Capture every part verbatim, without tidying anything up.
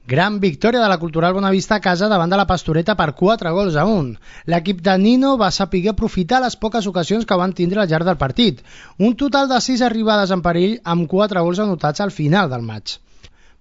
Gran victòria de la Cultural Bonavista a casa davant de la Pastoreta per quatre gols a un. L'equip de Nino va saber aprofitar les poques ocasions que van tindre al llarg del partit. Un total de sis arribades en perill amb quatre gols anotats al final del maig.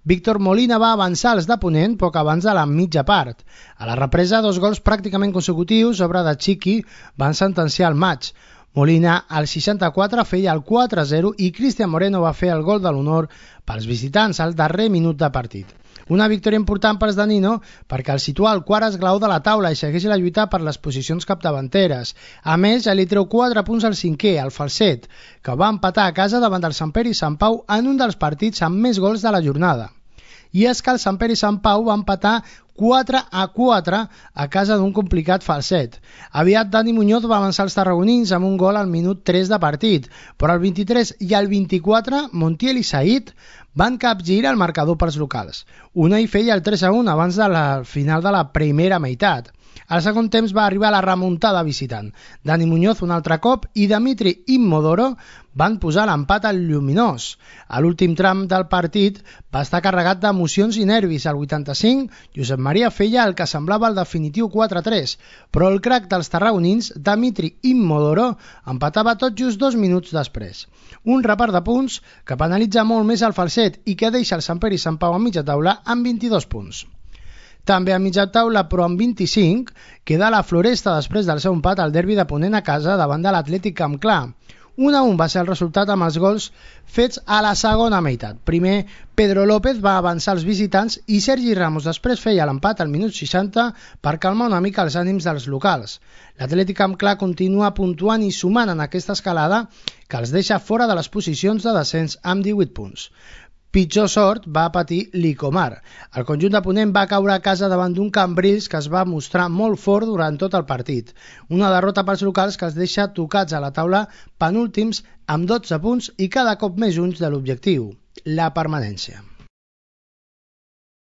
Víctor Molina va avançar els de Ponent poc abans de la mitja part. A la represa, dos gols pràcticament consecutius, obra de Chiqui, van sentenciar el maig. Molina, al seixanta-quatre, feia el quatre a zero i Cristian Moreno va fer el gol de l'honor pels visitants al darrer minut de partit. Una victòria important pels de Nino perquè el situa al quart esglaó de la taula i segueix la lluita per les posicions capdavanteres. A més, ja li treu quatre punts al cinquè, el Falset, que va empatar a casa davant del Sant Pere i Sant Pau en un dels partits amb més gols de la jornada. I és que el Sant Pere i Sant Pau va empatar quatre a quatre a casa d'un complicat Falset. Aviat Dani Muñoz va avançar els tarragonins amb un gol al minut tres de partit, però al vint-i-tres i al vint-i-quatre Montiel i Said van capgirar el marcador pels locals. Unai feia el tres a un abans de la final de la primera meitat. Al segon temps va arribar la remuntada visitant. Dani Muñoz un altre cop i Dimitri Immodoro van posar l'empat al lluminós. A l'últim tram del partit va estar carregat d'emocions i nervis. Al vuitanta-cinc, Josep Maria feia el que semblava el definitiu quatre a tres, però el crac dels tarragonins, Dimitri Immodoro, empatava tot just dos minuts després. Un repart de punts que penalitza molt més el Falset i que deixa el Sant Pere i Sant Pau a mitja taula amb vint-i-dos punts. També a mitja taula, però amb vint-i-cinc, queda la Floresta després del seu empat al derbi de Ponent a casa davant de l'Atlètic Camp Clar. un a un va ser el resultat amb els gols fets a la segona meitat. Primer, Pedro López va avançar els visitants i Sergi Ramos després feia l'empat al minut seixanta per calmar una mica els ànims dels locals. L'Atlètic Camp Clar continua puntuant i sumant en aquesta escalada que els deixa fora de les posicions de descens amb divuit punts. Pitjor sort va patir l'Icomar. El conjunt de Ponent va caure a casa davant d'un Cambrils que es va mostrar molt fort durant tot el partit. Una derrota pels locals que els deixa tocats a la taula penúltims amb dotze punts i cada cop més junts de l'objectiu, la permanència.